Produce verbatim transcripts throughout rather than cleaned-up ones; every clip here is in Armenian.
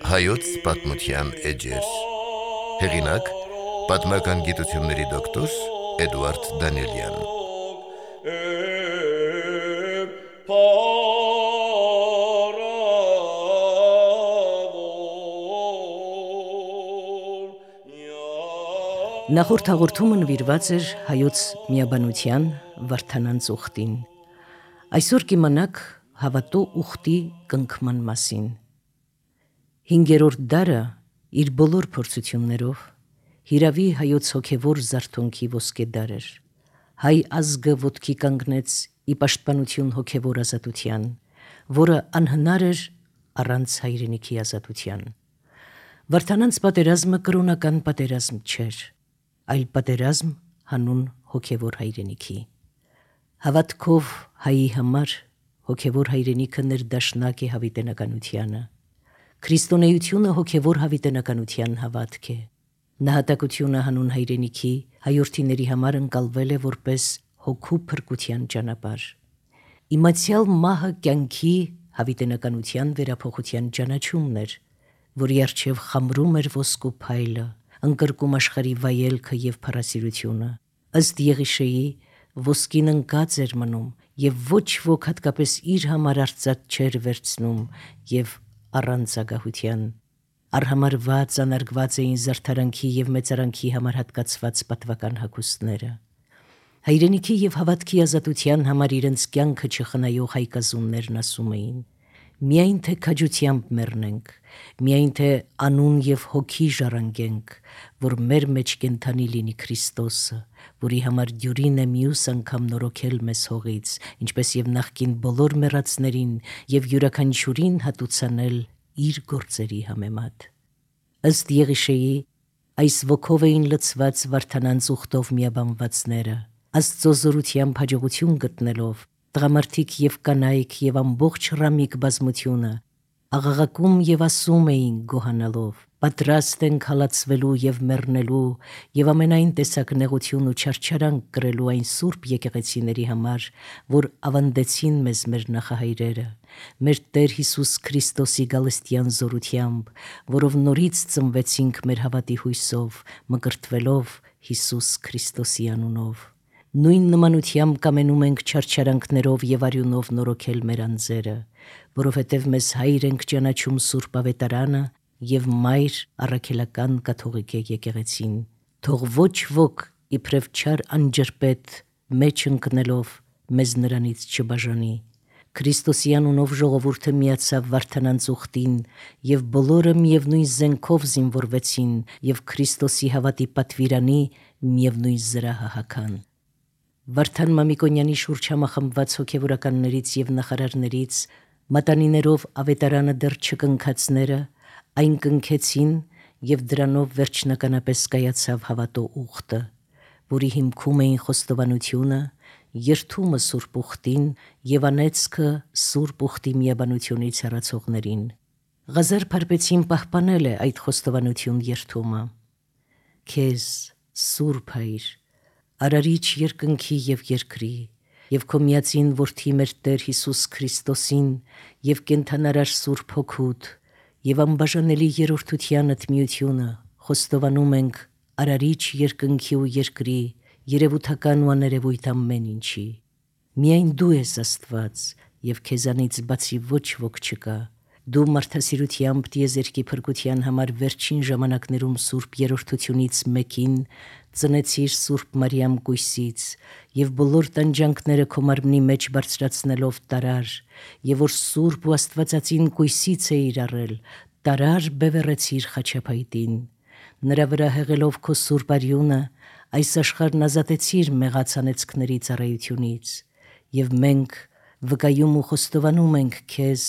Հայոց պատմության էջեր։ Հեղինակ՝ պատմական գիտությունների դոկտոր Էդուարդ Դանիելյան։ Նախորդ հաղորդումը նվիրված էր հայոց միաբանության Վարդանանց ուխտին։ Այսօր կիմանաք հավատո ուխտի կնքման մասին։ Հինգերորդ դարը իր բոլոր փորձություններով հիրավի հայոց հոգևոր զարթոնքի ոսկե դար էր։ Հայ ազգը ոտքի կանգնեց ի պաշտպանություն հոգևոր ազատության, որը անհնար էր առանց հայրենիքի ազատության։ Վարդանանց պատերազմը կրոնական պատերազմ չէր, այլ պատերազմ հանուն հոգևոր հայրենիքի։ Հավատքով հայի համար հոգևոր հայրենիքը ներդաշնակ է հավիտենականությանը։ Քրիստոնեությունը հոգևոր հավիտենականության հավատք է։ Նահատակությունը հանուն հայրենիքի հայորդիների համար ընկալվել է որպես հոգու փրկության ճանապարհ։ Իմացյալ մահը կյանքի հավիտենականության վերափոխության ճանաչումն էր, որի առջև խամրում էր ոսկու փայլը, ընկրկում աշխարհի վայելքը եւ փառասիրությունը։ Ըստ Եղիշեի, ոսկին ընկած էր մնում եւ ոչ ոք հատկապես իր համար արծաթ չէր վերցնում եւ առանց ագահության։ Արհամարված, անարգված էին զարդարանքի եւ մեծարանքի համար հատկացված պատվական հագուստները։ Հայրենիքի եւ հավատքի ազատության համար իրենց կյանքը չխնայող հայկազուններն ասում էին. միայն թե քաջությամբ մեռնենք, միայն թե անուն եւ հոգի ժառանգենք, որ մեր մեջ կենթանի լինի Քրիստոսը, որի համար դյուրին է մյուս անգամ նորոգել մեզ հողից, ինչպես եւ նախկին բոլոր մեռածներին եւ յուրաքանչյուրին հատուցանել իր գործերի համեմատ։ Ըստ Եղիշեի, այս ոգով էին լցված Վարդանանց ուխտով միաբանվածները, Աստծո զորությամբ հաջողություն գտնելով, տղամարդիկ եւ կանայք եւ ամբողջ ռամիկ բազմությունը աղաղակում եւ ասում էին գոհանալով. պատրաստ ենք հալածվելու եւ մեռնելու եւ ամենայն տեսակ նեղություն ու չարչարանք կրելու այն սուրբ եկեղեցիների համար, որ ավանդեցին մեզ մեր նախահայրերը, մեր Տեր Հիսուս Քրիստոսի գալստյան զորությամբ, որով նորից ծնվեցինք մեր հավատի հույսով, մկրտվելով Հիսուս Քրիստոսի անունով։ Նույն նմանությամբ կամենում ենք չարչարանքներով եւ արյունով նորոգել մեր անձերը, որովհետեւ մեզ հայր ենք ճանաչում Սուրբ Ավետարանը եւ մայր առաքելական կաթողիկե եկեղեցին։ Թող ոչ ոք իբրև չար անջրպետ մեջ ընկնելով մեզ նրանից չբաժանի։ Քրիստոսի անունով ժողովուրդը միացավ Վարդանանց ուխտին եւ բոլորը միևնույն զենքով զինվորվեցին եւ Քրիստոսի հավատի պատվիրանի միևնույն զրահը հագան։ Վարդան Մամիկոնյանի շուրջ համախմբված հոգևորականներից եւ նախարարներից մատանիներով ավետարանը դեռ չկնքածները այն կնքեցին եւ դրանով վերջնականապես կայացավ հավատո ուխտը, որի հիմքում էին խոստովանությունը, երթումը Սուրբ ուխտին եւ անեծքը Սուրբ ուխտի միաբանությունից հեռացողներին։ Ղազար Փարպեցին պահպանել է այդ խոստովանություն երթումը։ Քեզ, Սուրբ Հայր, արարիչ երկնքի եւ երկրի, եւ քո միածին որդի մեր Տեր Հիսուս Քրիստոսին եւ կենթանարար Սուրբ Հոգուդ եւ անբաժանելի երրորդությանդ միությունը խոստովանում ենք արարիչ երկնքի ու երկրի, երևութական ու աներևույթ ամեն ինչի։ Միայն դու ես Աստված եւ քեզանից բացի ոչ ոք չկա։ Դու մարդասիրությամբ տիեզերքի փրկության համար վերջին ժամանակներում Սուրբ երրորդությունից մեկին ծնեցիր Սուրբ Մարիամ կույսից եւ բոլոր տանջանքները քո մարմնի մեջ բարձրացնելով տարար, եւ որ Սուրբ ու Աստվածածին կույսից էիր առել, տարար բևեռեցիր խաչապայտին։ Նրա վրա հեղելով քո Սուրբ արյունը, այս աշխարհն ազատեցիր մեղած անեծքների ծառայությունից, եւ մենք վկայում ու խոստովանում ենք քեզ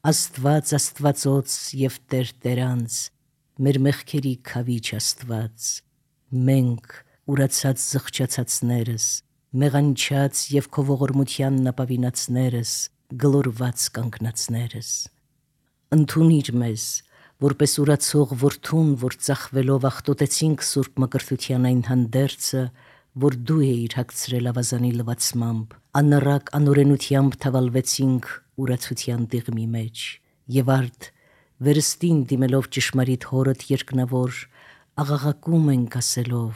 Աստված Աստվածոց եւ Տեր Տերանց, մեր մեղքերի քավիչ Աստված։ Մենք ուրացած զղջացածներս, մեղանչած եւ քո ողորմությանն ապավինացներս, գլորված կանգնածներս։ Ընդունիր մեզ, որպես ուրացող որդուն, որ ծախվելով աղտոտեցինք Սուրբ Մկրտության այն հանդերձը, որ դու էիր հագցրել ավազանի լվացմամբ, անառակ անօրենությամբ թավալվեցինք ուրացության դեղմի մեջ, եւ արդ վերստին դիմելով ճշմարիտ հորդ երկնավոր, աղաղակում ենք ասելով.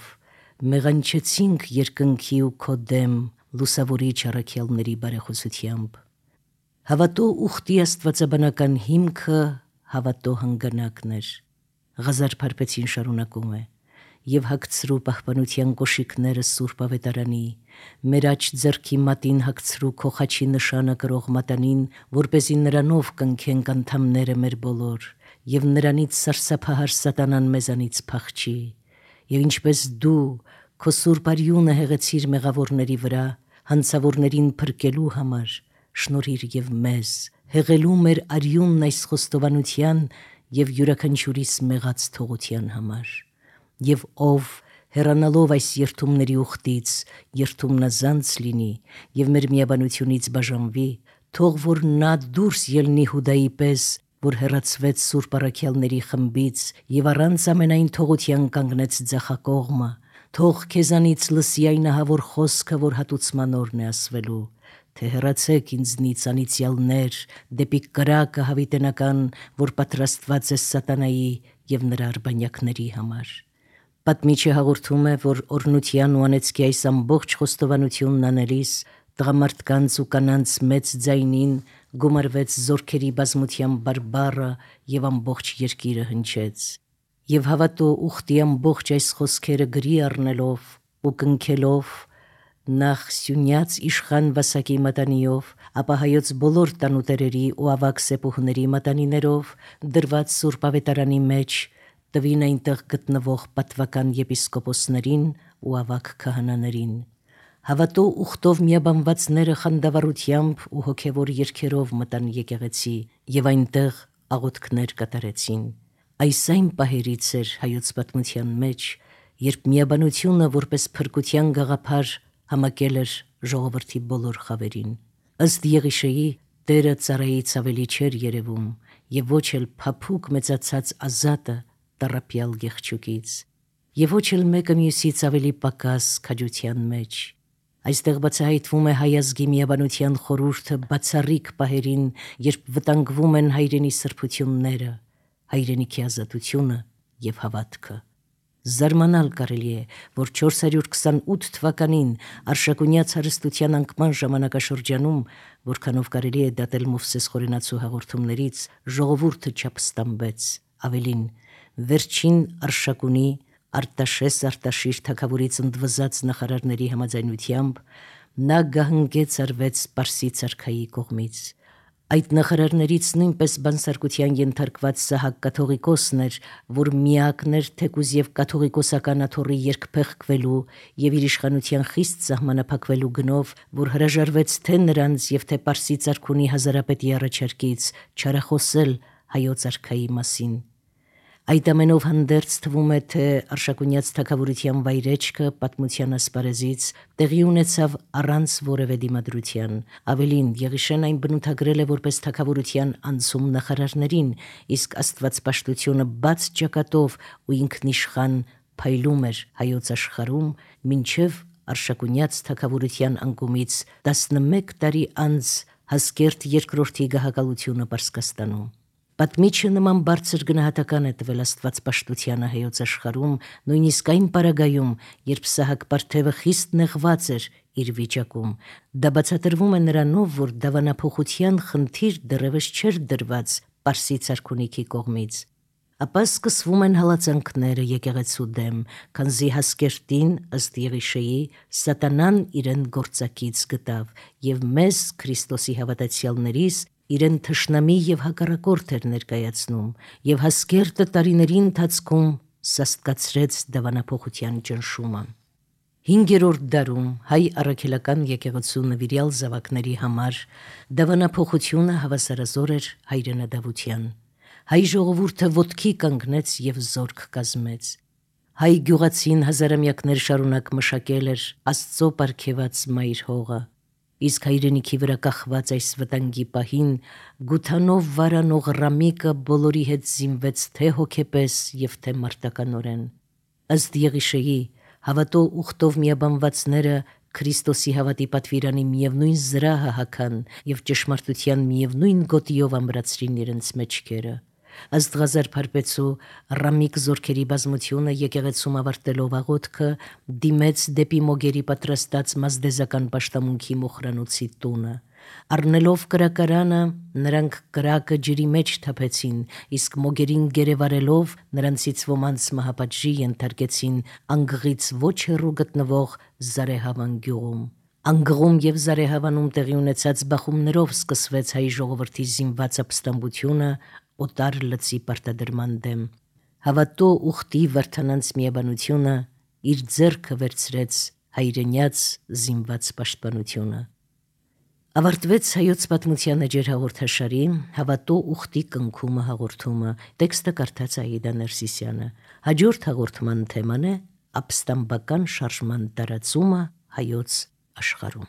մեղանչեցինք երկնքի ու քո դեմ լուսավորիչ առաքյալների բարեխոսությամբ։ Հավատո ուխտի աստվածաբանական հիմքը հավատո հանգանակն էր։ Ղազար Փարպեցին շարունակում է. «Եվ հագցրու պահպանության կոշիկները Սուրբ Ավետարանի, մեր աջ ձեռքի մատին հագցրու քո խաչի նշանը կրող մատանին, որպեսզի նրանով կնքենք անդամները մեր բոլոր, եւ նրանից սարսափահար սատանան մեզանից փախչի, եւ ինչպես դու քո սուրբ արյունը հեղեցիր մեղավորների վրա, հանցավորներին փրկելու համար, շնորհիր եւ մեզ, հեղելու մեր արյունն այս խոստովանության եւ յուրաքանչյուրիս մեղած թողության համար։ Եվ ով հեռանալով այս երթումների ուխտից երթումնազանց լինի եւ մեր միաբանությունից բաժանվի, թող որ նա դուրս ելնի Հուդայի պես, որ հեռացվեց սուրբ առաքյալների խմբից եւ առանց ամենայն թողության կանգնեց ձախակողմը, թող քեզանից լսի այն ահավոր խոսքը, որ հատուցման օրն է ասվելու, թե հեռացեք ինձնից անիծյալներ դեպի կրակը հավիտենական, որ պատրաստված է սատանայի եւ նրա արբանյակների համար։ Պատմիչը հաղորդում է, որ օրնության ու անեծքի այս ամբողջ խոստովանությունն անելիս տղամարդկանց ու կանանց մեծ ձայնին գումարվեց զորքերի բազմության բարբառը եւ ամբողջ երկիրը հնչեց։ Եվ հավատո ուխտի ամբողջ այս խոսքերը գրի առնելով ու կնքելով նախ Սյունյաց իշխան Վասակի մատանիով, ապա հայոց բոլոր տանուտերերի ու ավագ սեպուհների մատանիներով դրված Սուրբ Ավետարանի մեջ տվին այնտեղ գտնվող պատվական եպիսկոպոսներին ու ավագ քահանաներին։ Հավատո ուխտով միաբանվածները խանդավառությամբ ու հոգևոր երգերով մտան եկեղեցի եւ այնտեղ աղոթքներ կատարեցին։ Այս այն պահերից էր հայոց պատմության մեջ, երբ միաբանությունը որպես փրկության գաղափար համակել էր ժողովրդի բոլոր խավերին։ Ըստ Եղիշեի, Տերը ծառայից ավելի չէր երևում եւ ոչ էլ փափուկ մեծացած ազատը տառապյալ գեղչուկից, եւ ոչ էլ մեկը մյուսից ավելի պակաս քաջության մեջ։ Այստեղ բացահայտվում է հայ ազգի միաբանության խորհուրդը բացառիկ պահերին, երբ վտանգվում են հայրենի սրբությունները, հայրենիքի ազատությունը եւ հավատքը։ Զարմանալ կարելի է, որ չորս հարյուր քսանութ թվականին Արշակունյաց հարստության անկման ժամանակաշրջանում, որքանով կարելի է դատել Մովսես Խորենացու հաղորդումներից, ժողովուրդը չապստամբեց, ավելին, վերջին Արշակունի Արտաշես Արտաշիր թագավորից ընդվզած նախարարների համաձայնությամբ նա գահնգեց արվեց Պարսից արքայի կողմից։ Այդ նախարարներից նույնպես բանսարկության ենթարկված Սահակ կաթողիկոսն էր, որ միակն էր թեկուզ եւ կաթողիկոսական աթոռի երկփեղկվելու եւ իր իշխանության խիստ սահմանափակվելու գնով, որ հրաժարվեց թե նրանց եւ թե Պարսից արքունի հազարապետի առաջարկից չարախոսել հայոց արքայի մասին։ Այդ ամենով հանդերձ թվում է, թե Արշակունյաց թագավորության վայրեջքը պատմության ասպարեզից տեղի ունեցավ առանց որևէ դիմադրության։ Ավելին, Եղիշեն այն բնութագրել է որպես թագավորության անցում նախարարներին, իսկ աստվածպաշտությունը բաց ճակատով ու ինքնիշխան փայլում էր հայոց աշխարհում, մինչև Արշակունյաց թագավորության անկումից տասնմեկ տարի անց Հասկերտ երկրորդի գահակալությունը Պարսկաստանում։ Պատմիչը նման բարձր գնահատական է տվել աստվածպաշտությանը հայոց աշխարհում, նույնիսկ այն պարագայում, երբ Սահակ Պարթևը խիստ նեղված էր իր վիճակում։ Դա բացատրվում է նրանով, որ դավանափոխության խնդիր դեռևս չէր դրված Պարսից արքունիքի կողմից։ Ապա սկսվում են հալածանքները եկեղեցու դեմ, քանզի Հասկերտին, ըստ Եղիշեի, սատանան իրեն գործակից գտավ եւ մեզ Քրիստոսի հավատացյալներիս իրեն թշնամի եւ հակառակորդ էր ներկայացնում, եւ Հասկերտը տարիների ընթացքում սաստկացրեց դավանափոխության ճնշումը։ Հինգերորդ դարում հայ առաքելական եկեղեցու նվիրյալ զավակների համար դավանափոխությունը հավասարազոր էր հայրենադավության։ Հայ ժողովուրդը ոտքի կանգնեց եւ զորք կազմեց։ Հայ գյուղացին հազարամյակներ շարունակ մշակել էր Աստծո պարգևած մայր հողը, իսկ հայրենիքի վրա կախված այս վտանգի պահին գութանով վարանող Ռամիկը բոլորի հետ զինվեց թե հոգեպես եւ թե մարտականորեն։ Ըստ Եղիշեի, հավատո ուխտով միաբանվածները Քրիստոսի հավատի պատվիրանի միևնույն զրահը հագան եւ ճշմարտության միևնույն գոտիով ամրացրին իրենց մեջքերը։ Ըստ Ղազար Փարպեցու Ռամիկ զորքերի բազմությունը եկեղեցում ավարտելով աղոթքը դիմեց դեպի մոգերի պատրաստած մազդեզական պաշտամունքի մոխրանոցի տունը։ Առնելով կրակարանը, նրանք կրակը ջրի մեջ թափեցին, իսկ մոգերին գերեվարելով նրանցից ոմանց մահապատժի ենթարկեցին անգղից ոչ հեռու գտնվող Զարեհավան գյուղում։ Անգղում և Զարեհավանում տեղի ունեցած բախումներով սկսվեց հայ ժողովրդի զինված ապստամբությունը օտար լծի պարտադրման դեմ։ Հավատո ուխտի Վարդանանց միաբանությունը իր ձեռքը վերցրեց հայրենյաց զինված պաշտպանությունը։ Ավարտվեց հայոց պատմության էջեր հաղորդաշարի Հավատո ուխտի կնքումը հաղորդումը, տեքստը կարդաց Աիդա Ներսիսյանը։ Հաջորդ հաղորդման թեման է ապստամբական շարժման տարածումը հայոց աշխարհում։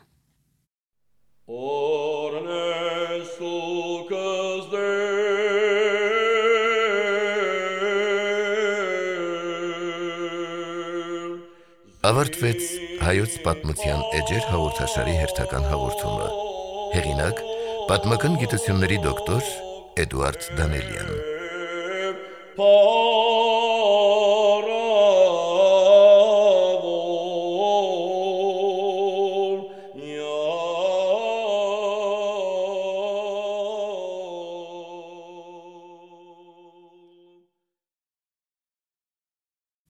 Ավարտվեց հայոց պատմության էջեր հաղորդաշարի հերթական հաղորդումը։ Հեղինակ՝ պատմական գիտությունների դոկտոր Էդուարդ Դանելյան։